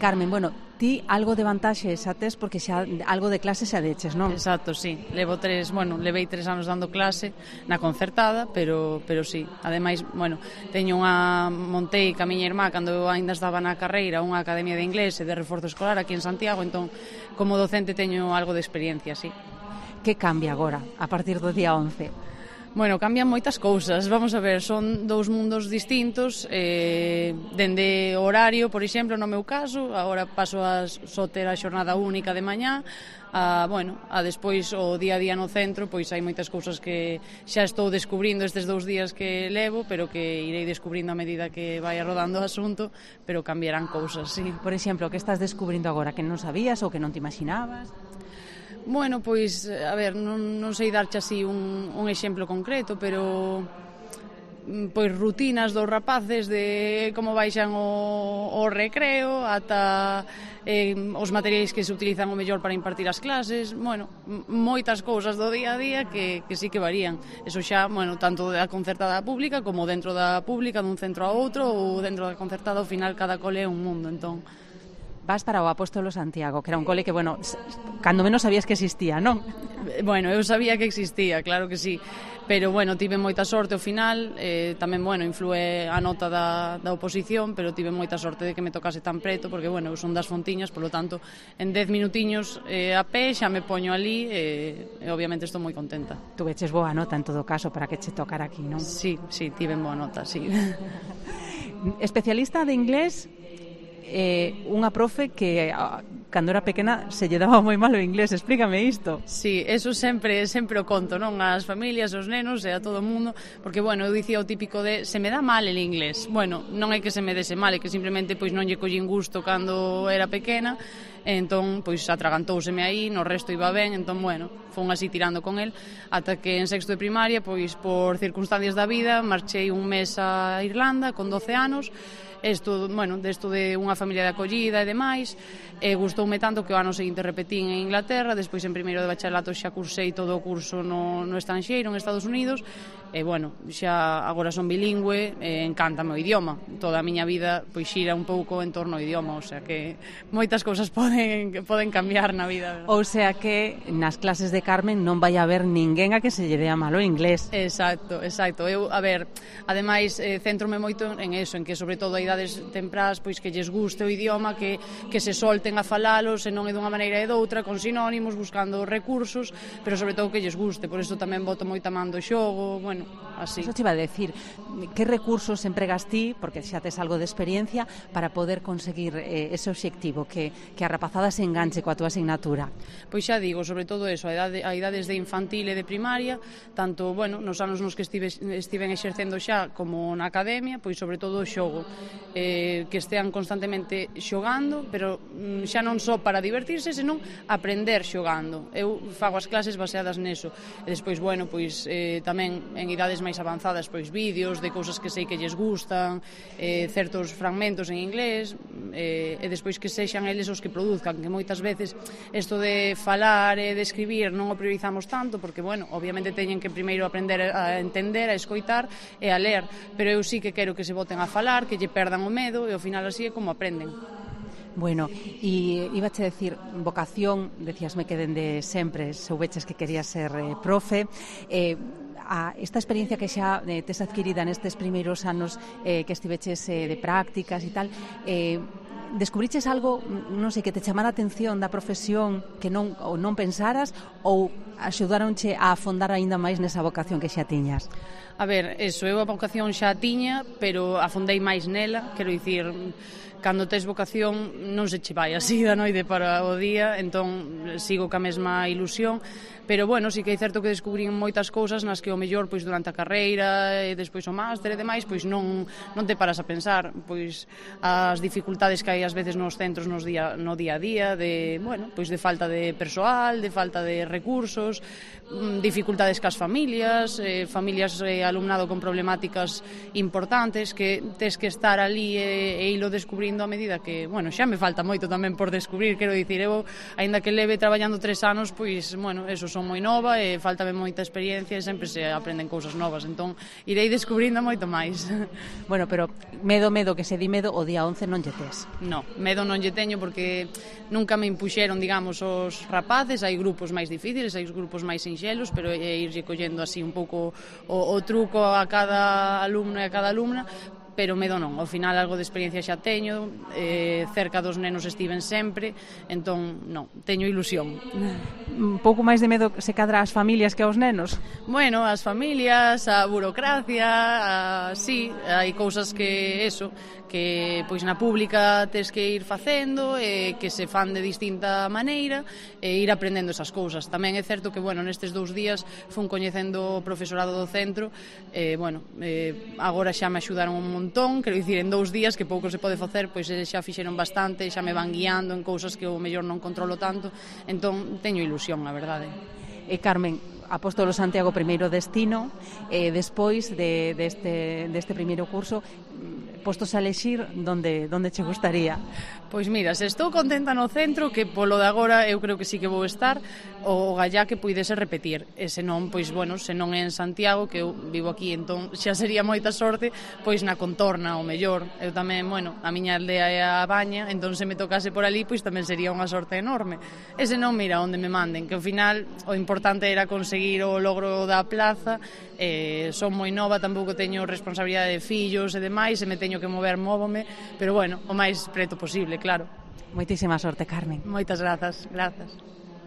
Carmen, bueno, ti algo de vantaxe xa tes porque xa algo de clase xa deches, non? Exacto, sí. Levei 3 anos dando clase na concertada, pero sí. Ademais, montei ca miña irmá cando eu ainda estaba na carreira unha academia de inglés e de reforzo escolar aquí en Santiago, entón como docente teño algo de experiencia, sí. Que cambia agora, a partir do día 11? Bueno, cambian moitas cousas, vamos a ver, son dous mundos distintos, dende o horario, por exemplo, no meu caso, agora paso a só ter a xornada única de mañá, a despois o día a día no centro, pois hai moitas cousas que xa estou descubrindo estes 2 días que levo, pero que irei descubrindo a medida que vai rodando o asunto, pero cambiarán cousas, sí. Por exemplo, que estás descubrindo agora que non sabías ou que non te imaginabas? Bueno, pois, a ver, non sei darche así un exemplo concreto, pero pois rutinas dos rapaces de como baixan o recreo ata os materiais que se utilizan o mellor para impartir as clases, moitas cousas do día a día que sí que varían. Eso xa, tanto da concertada pública como dentro da pública, dun centro a outro, ou dentro da concertada, ao final cada cole é un mundo, entón vas para o Apóstolo Santiago, que era un cole que, cando menos sabías que existía, non? Eu sabía que existía, claro que sí, pero, tive moita sorte ao final, tamén, inflúe a nota da oposición, pero tive moita sorte de que me tocase tan preto, porque, eu son das Fontiñas, polo tanto, en 10 minutiños a pé xa me poño ali e obviamente estou moi contenta. Tuveches boa nota en todo caso para que che tocara aquí, non? Sí, tive boa nota, sí. Especialista de inglés, unha profe que cando era pequena se lle daba moi mal o inglés, explícame isto. Sí, eso sempre o conto, non? As familias, os nenos e a todo o mundo, porque, eu dicía o típico de se me dá mal el inglés. Non é que se me dese mal, é que simplemente non lle collín gusto cando era pequena, entón, atragantouseme aí, no resto iba ben, entón, fon así tirando con el, ata que en sexto de primaria, por circunstancias da vida, marchei un mes a Irlanda con 12 anos, desto de unha familia de acollida e demais, gustoume tanto que o ano seguinte repetín en Inglaterra, despois en primeiro de bacharelato xa cursei todo o curso no estranxeiro, en Estados Unidos, e xa agora son bilingüe, encántame o idioma, toda a miña vida xira un pouco en torno ao idioma, o sea que moitas cousas poden cambiar na vida, verdad? O sea que nas clases de Carmen non vai haber ninguén a que se lle dea mal o inglés. Exacto, eu, ademais, céntrome moito en eso, en que sobre todo a idades temprás, que lles guste o idioma, que se solten a falalo, se non é dunha maneira e doutra, con sinónimos, buscando recursos, pero sobre todo que lles guste, por eso tamén boto moita man do xogo, así. Eso te iba a decir, que recursos empregas ti, porque xa tes algo de experiencia, para poder conseguir ese obxectivo, que a rapazada se enganche coa túa asignatura? Pois xa digo, sobre todo eso, a idades de infantil e de primaria, tanto, nos anos nos que estiven exercendo xa como na academia, pois sobre todo o xogo, que estean constantemente xogando, pero xa non só para divertirse, senón aprender xogando. Eu fago as clases baseadas neso, e despois, tamén en idades máis avanzadas, vídeos de cousas que sei que lles gustan, certos fragmentos en inglés, e despois que sexan eles os que produzcan, que moitas veces isto de falar e de escribir non o priorizamos tanto, porque, obviamente teñen que primeiro aprender a entender, a escoitar e a ler, pero eu sí que quero que se boten a falar, que lle perdan o medo, e ao final así é como aprenden. Bueno, e ibache decir, vocación, decíasme que dende sempre soubeches que querías ser profe, esta experiencia que xa tes adquirida nestes primeiros anos que estiveches de prácticas e tal, descubriches algo, non sei, que te chamara a atención da profesión que non pensaras, ou axudaronche a afondar aínda máis nesa vocación que xa tiñas? A ver, eu a vocación xa tiña, pero afondei máis nela, quero dicir, cando tes vocación non se che vai así da noite para o día, entón sigo ca mesma ilusión, pero sí que é certo que descubrín moitas cousas nas que o mellor durante a carreira e despois o máster e demais, non te paras a pensar, as dificultades que hai ás veces nos centros no día a día, de falta de persoal, de falta de recursos, dificultades cas familias, alumnado con problemáticas importantes que tes que estar ali e ilo descubrindo descubrindo a medida que, bueno, xa me falta moito tamén por descubrir, quero dicir, eu, aínda que leve traballando 3 anos, pois, bueno, eso, son moi nova e faltame moita experiencia e sempre se aprenden cousas novas, entón irei descubrindo moito máis. Bueno, pero medo que se di medo, o día 11 non lle tes. No, medo non lle teño porque nunca me impuxeron, digamos, os rapaces, hai grupos máis difíciles, hai grupos máis sinxelos, pero é irlle collendo así un pouco o truco a cada alumno e a cada alumna, pero medo non, ao final algo de experiencia xa teño, cerca dos nenos estiven sempre, entón non, teño ilusión. Un pouco máis de medo se cadra ás familias que aos nenos? Bueno, as familias, a burocracia, sí, hai cousas que eso, que pois na pública tes que ir facendo, que se fan de distinta maneira e ir aprendendo esas cousas. Tamén é certo que, bueno, nestes 2 días fun coñecendo o profesorado do centro, bueno, agora xa me axudaron un montón, quero dicir, en 2 días que pouco se pode facer, pois xa fixeron bastante, xa me van guiando en cousas que o mellor non controlo tanto, entón teño ilusión, a verdade. Carmen, Apóstolo Santiago primeiro destino, despois deste primeiro curso, postos a elexir, donde che gustaría? Pois mira, se estou contenta no centro, que polo de agora eu creo que sí que vou estar, o gallá que puidese repetir, e se non, pois bueno, se non é en Santiago, que eu vivo aquí, entón xa sería moita sorte, pois na contorna, o mellor. Eu tamén, bueno, a miña aldea é a Baña, entón se me tocase por ali, pois tamén sería unha sorte enorme. E se non, mira, onde me manden, que ao final o importante era conseguir o logro da plaza, son moi nova, tampouco teño responsabilidade de fillos e demais, se me teño que mover, móvome, pero bueno, o máis preto posible, claro. Moitísima sorte, Carmen. Moitas grazas.